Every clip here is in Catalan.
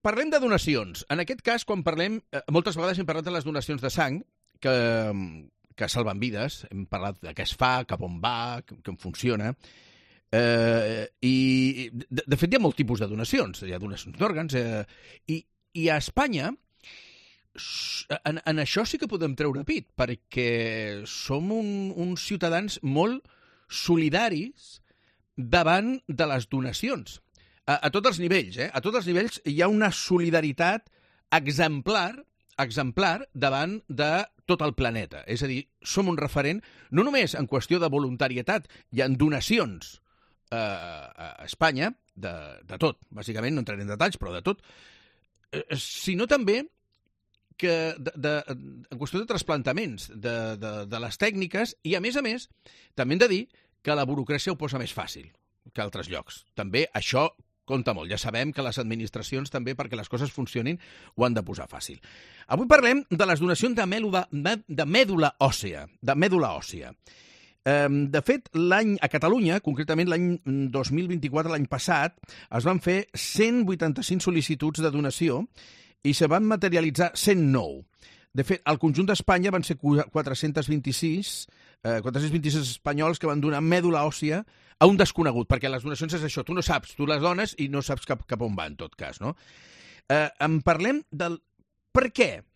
Parlem de donacions. En aquest cas, quan parlem... moltes vegades hem parlat de les donacions de sang, que salven vides. Hem parlat de què es fa, cap on va, com funciona. I, de fet, hi ha molts tipus de donacions. Hi ha donacions d'òrgans. I a Espanya, en això sí que podem treure pit, perquè som uns ciutadans molt solidaris davant de les donacions. A tots els nivells, A tots els nivells hi ha una solidaritat exemplar davant de tot el planeta. És a dir, som un referent, no només en qüestió de voluntarietat, hi ha donacions a Espanya, de tot, bàsicament, no entraré en detalls, però de tot, sinó també que en qüestió de trasplantaments, de les tècniques, i a més, també hem de dir que la burocràcia ho posa més fàcil que altres llocs. També això compta molt. Ja sabem que les administracions també, perquè les coses funcionin, ho han de posar fàcil. Avui parlem de les donacions de mèdula òssea. De fet, a Catalunya, concretament l'any 2024, l'any passat, es van fer 185 sol·licituds de donació i se van materialitzar 109. De fet, al conjunt d'Espanya van ser 426 espanyols que van donar mèdula òssia a un desconegut, perquè les donacions és això, tu no saps, tu les dones i no saps cap on va, en tot cas, no? En parlem del per què.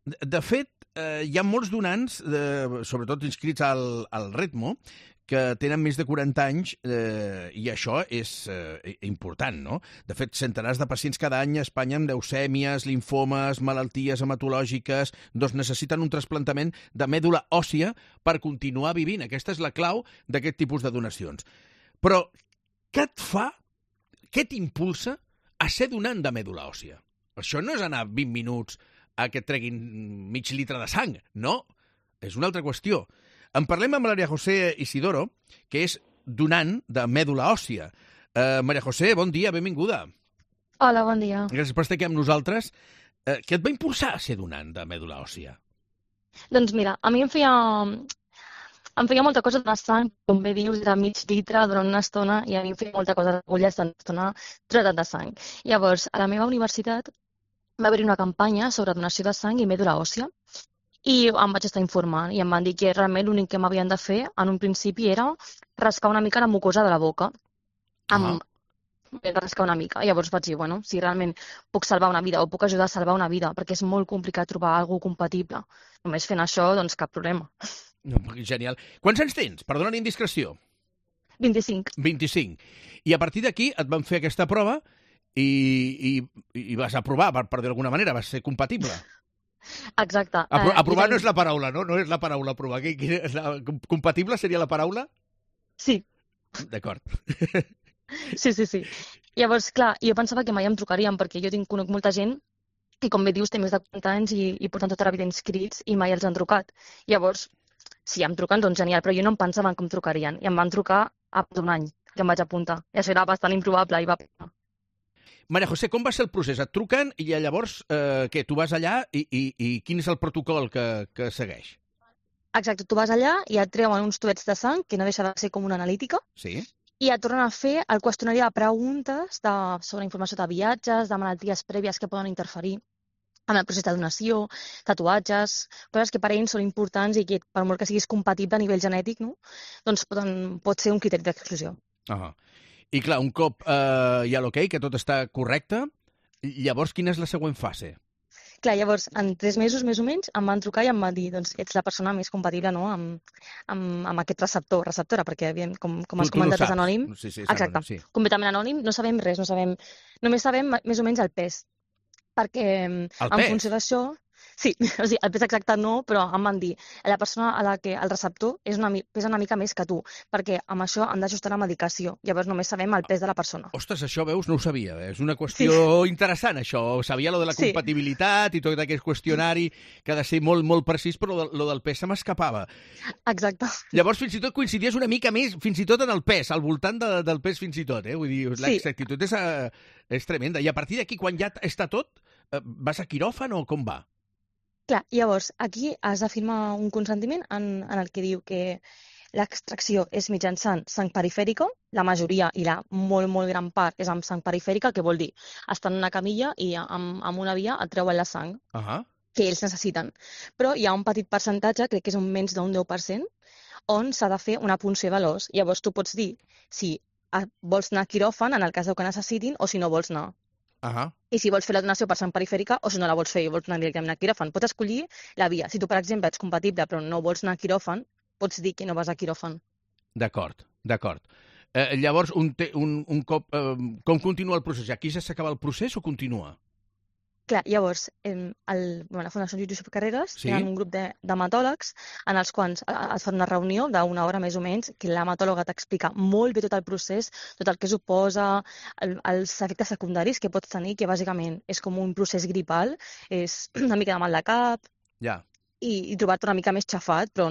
De fet, hi ha molts donants, sobretot inscrits al Retmo, que tenen més de 40 anys i això és important, no? De fet, centenars de pacients cada any a Espanya amb leucèmies, linfomes, malalties hematològiques, doncs necessiten un trasplantament de mèdula òssia per continuar vivint. Aquesta és la clau d'aquest tipus de donacions. Però què et fa, què t'impulsa a ser donant de mèdula òssia? Això no és anar 20 minuts a que et treguin mig litre de sang, no. És una altra qüestió. En parlem amb María José Isidoro, que és donant de mèdula òssia. María José, bon dia, benvinguda. Hola, bon dia. Gràcies per estar aquí amb nosaltres. Què et va impulsar a ser donant de mèdula òssia? Doncs mira, a mi em feia molta cosa de sang, com bé dius, de mig litre durant una estona, i a mi em feia molta cosa d'agulles d'una estona tratat de sang. Llavors, a la meva universitat va haver-hi una campanya sobre donació de sang i mèdula òssia, i em vaig estar informant i em van dir que realment l'únic que m'havien de fer en un principi era rascar una mica la mucosa de la boca. Rascar una mica. Llavors vaig dir, bueno, si realment puc salvar una vida o puc ajudar a salvar una vida, perquè és molt complicat trobar alguna compatible. Només fent això, doncs cap problema. Genial. Quants anys tens? Perdona la indiscreció. 25. 25. I a partir d'aquí et van fer aquesta prova i vas aprovar, per dir d'alguna manera, vas ser compatible. Exacte. Aprovar no és la paraula, no? No és la paraula aprovar. Compatible seria la paraula? Sí. D'acord. Sí. Llavors, clar, jo pensava que mai em trucarien, perquè jo conec molta gent i, com bé dius, té més de 40 anys i porten tota la vida inscrits i mai els han trucat. Llavors, si em truquen, doncs genial, però jo no em pensava que em trucarien. I em van trucar a d'un any que em vaig apuntar. I això era bastant improbable i va passar. María José, com va ser el procés? Et truquen i llavors, què, tu vas allà i quin és el protocol que segueix? Exacte, tu vas allà i et treuen uns tubets de sang, que no deixa de ser com una analítica, sí. I et tornen a fer el qüestionari de preguntes sobre informació de viatges, de malalties prèvies que poden interferir amb el procés de donació, tatuatges, coses que per a ells són importants i que, per molt que siguis compatible a nivell genètic, no? Doncs pot ser un criteri d'exclusió. I clar, un cop hi ha l'ok, que tot està correcte, llavors quina és la següent fase? Clar, llavors, en 3 mesos més o menys, em van trucar i em van dir, doncs, ets la persona més compatible, no?, amb aquest receptora, perquè, com has comentat, és anònim. Sí, exacte, anònim, sí. Completament anònim, no sabem res, només sabem més o menys el pes, perquè en funció d'això... Sí, o sigui, el pes exacte no, però em van dir la persona a la que el receptor pesa una mica més que tu, perquè amb això han d'ajustar la medicació. Llavors només sabem el pes de la persona. Ostres, això, veus, no ho sabia. És una qüestió interessant, això. Sabia lo de la compatibilitat i tot aquest qüestionari que ha de ser molt, molt precís, però lo del pes se m'escapava. Exacte. Llavors, fins i tot coincidies una mica més, fins i tot en el pes, al voltant del pes fins i tot, Vull dir, l'exactitud és tremenda. I a partir d'aquí, quan ja està tot, vas a quiròfan o com va? Clar, llavors, aquí has de firmar un consentiment en el que diu que l'extracció és mitjançant sang perifèrica, la majoria i la molt, molt gran part és amb sang perifèrica, que vol dir estar en una camilla i amb una via et treuen la sang que ells necessiten. Però hi ha un petit percentatge, crec que és un menys d'un 10%, on s'ha de fer una punció de l'os. Llavors tu pots dir si vols anar a quiròfan en el cas que necessitin o si no vols anar. I si vols fer la donació per sang perifèrica o si no la vols fer i vols anar directament a quiròfan. Pots escollir la via. Si tu, per exemple, ets compatible però no vols anar a quiròfan, pots dir que no vas a quiròfan. D'acord. Llavors, un cop... com continua el procés? Aquí ja s'acaba el procés o continua? Clar, llavors, la Fundació Josep Carreras tenen un grup d'hematòlegs en els quals es fa una reunió d'una hora més o menys, que l'hematòloga t'explica molt bé tot el procés, tot el que suposa, els efectes secundaris que pots tenir, que bàsicament és com un procés gripal, és una mica de mal de cap, i trobar-te una mica més xafat, però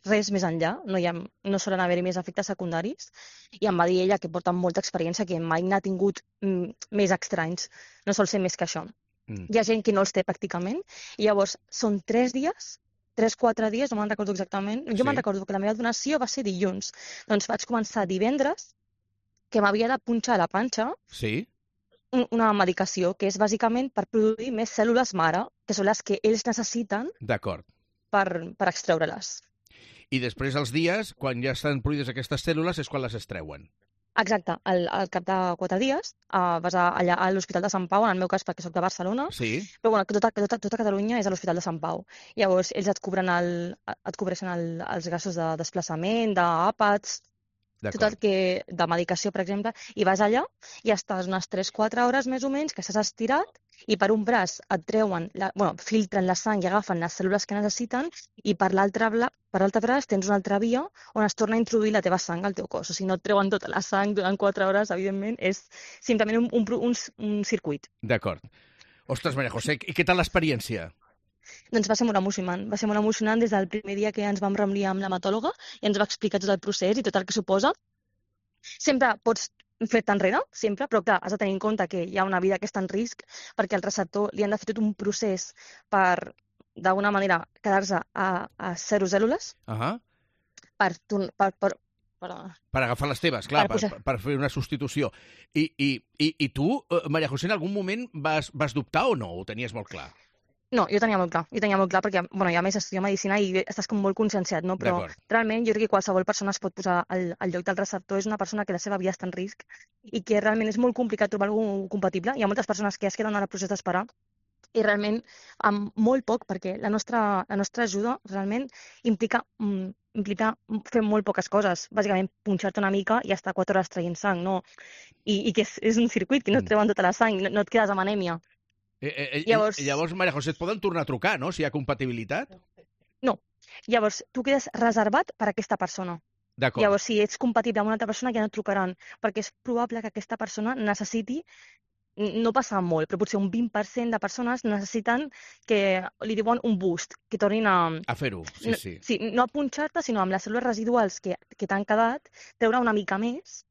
res més enllà, no solen haver-hi més efectes secundaris, i em va dir ella que porta molta experiència, que mai n'ha tingut més estranys, no sol ser més que això. Hi ha gent que no els té pràcticament, i llavors són 3 dies, 3-4 dies, no me'n recordo exactament. Jo me'n recordo que la meva donació va ser dilluns. Doncs vaig començar divendres, que m'havia de punxar a la panxa una medicació, que és bàsicament per produir més cèl·lules mare, que són les que ells necessiten per extreure-les. I després els dies, quan ja estan produïdes aquestes cèl·lules, és quan les extreuen. Exacte, al cap de 4 dies vas allà a l'Hospital de Sant Pau, en el meu cas perquè soc de Barcelona, però bueno, tota Catalunya és a l'Hospital de Sant Pau. Llavors ells et cobreixen els gastos de desplaçament, d'àpats, tot el que de medicació, per exemple, i vas allà i estàs unes 3-4 hores més o menys, que estàs estirat, i per un braç et treuen, filtren la sang i agafen les cèl·lules que necessiten, i per l'altre braç tens una altra via on es torna a introduir la teva sang al teu cos. O sigui, no et treuen tota la sang durant 4 hores, evidentment, és simplement un circuit. D'acord. Ostres, Maria José, i què tal l'experiència? Doncs va ser molt emocionant des del primer dia que ens vam reunir amb l'hematòloga i ens va explicar tot el procés i tot el que suposa. Sempre pots fer-te enrere, sempre, però clar, has de tenir en compte que hi ha una vida que està en risc perquè al receptor li han de fer tot un procés per, d'alguna manera, quedar-se a 0 cèl·lules per agafar les teves, clar, per fer una substitució. I tu, Maria José, en algun moment vas dubtar o no? Ho tenies molt clar? No, jo tenia molt clar perquè, ja més estudio medicina i estàs com molt conscienciat, no? Però realment jo crec que qualsevol persona es pot posar al lloc del receptor, és una persona que la seva vida està en risc i que realment és molt complicat trobar algú compatible. Hi ha moltes persones que es queden al procés d'esperar i realment amb molt poc, perquè la nostra ajuda realment implica fer molt poques coses, bàsicament punxar-te una mica i estar 4 hores traient sang, no? I que és un circuit que no et treuen tota la sang, no et quedes amb anèmia. Llavors, Maria José, et poden tornar a trucar, no?, si hi ha compatibilitat? No. Llavors, tu quedes reservat per a aquesta persona. Llavors, si ets compatible amb una altra persona, ja no et trucaran, perquè és probable que aquesta persona necessiti, no passa molt, però potser un 20% de persones necessiten que li diuen un boost, que tornin a fer-ho, sí. Sí, no a punxar-te, sinó amb les cèl·lules residuals que t'han quedat, treure una mica més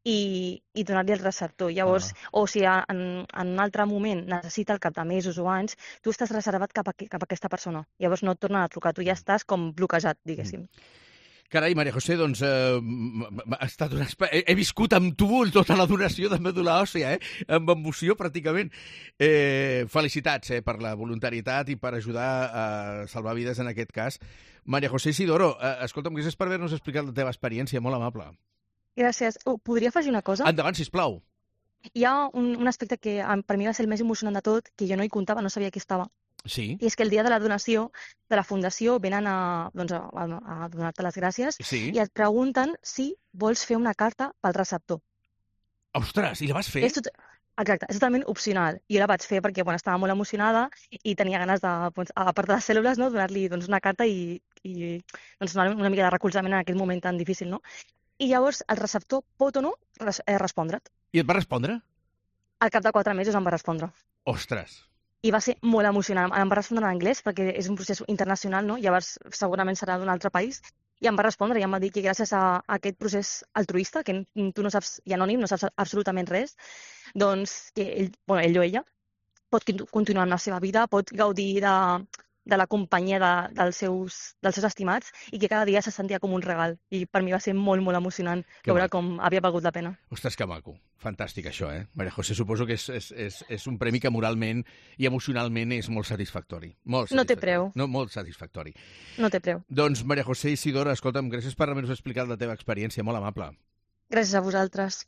i donar-li el receptor. Llavors, o si en un altre moment necessita al cap de mesos o anys, tu estàs reservat cap a aquesta persona. Llavors no et tornen a trucar, tu ja estàs com bloquejat, diguéssim. Carai, Maria José, doncs ha estat he viscut amb tu tota la donació de mèdula òssia, amb emoció pràcticament. Felicitats per la voluntarietat i per ajudar a salvar vides en aquest cas. Maria José Isidoro, escolta'm, gràcies per haver-nos explicat la teva experiència, molt amable. Gràcies. Podria afegir una cosa? Endavant, sisplau. Hi ha un aspecte que per mi va ser el més emocionant de tot, que jo no hi comptava, no sabia qui estava. Sí. I és que el dia de la donació de la Fundació venen a donar-te les gràcies i et pregunten si vols fer una carta pel receptor. Ostres, i la vas fer? Exacte, és totalment opcional. Jo la vaig fer perquè estava molt emocionada i tenia ganes de, a part de les cèl·lules, no, donar-li una carta i donar una mica de recolzament en aquest moment tan difícil, no? I llavors el receptor pot o no respondre't. I et va respondre? Al cap de 4 mesos em va respondre. Ostres! I va ser molt emocionant. Em va respondre en anglès perquè és un procés internacional, no? Llavors segurament serà d'un altre país. I em va respondre i em va dir que gràcies a aquest procés altruista, que tu no saps, i anònim, no saps absolutament res, doncs que ell o ella pot continuar amb la seva vida, pot gaudir de la companyia dels seus estimats i que cada dia se sentia com un regal. I per mi va ser molt, molt emocionant veure com havia valgut la pena. Ostres, que maco. Fantàstic, això, eh? Maria José, suposo que és un premi que moralment i emocionalment és molt satisfactori. Molt satisfactori. No té preu. No, molt satisfactori. No té preu. Doncs, Maria José Isidora, escolta'm, gràcies per haver-nos explicat la teva experiència, molt amable. Gràcies a vosaltres.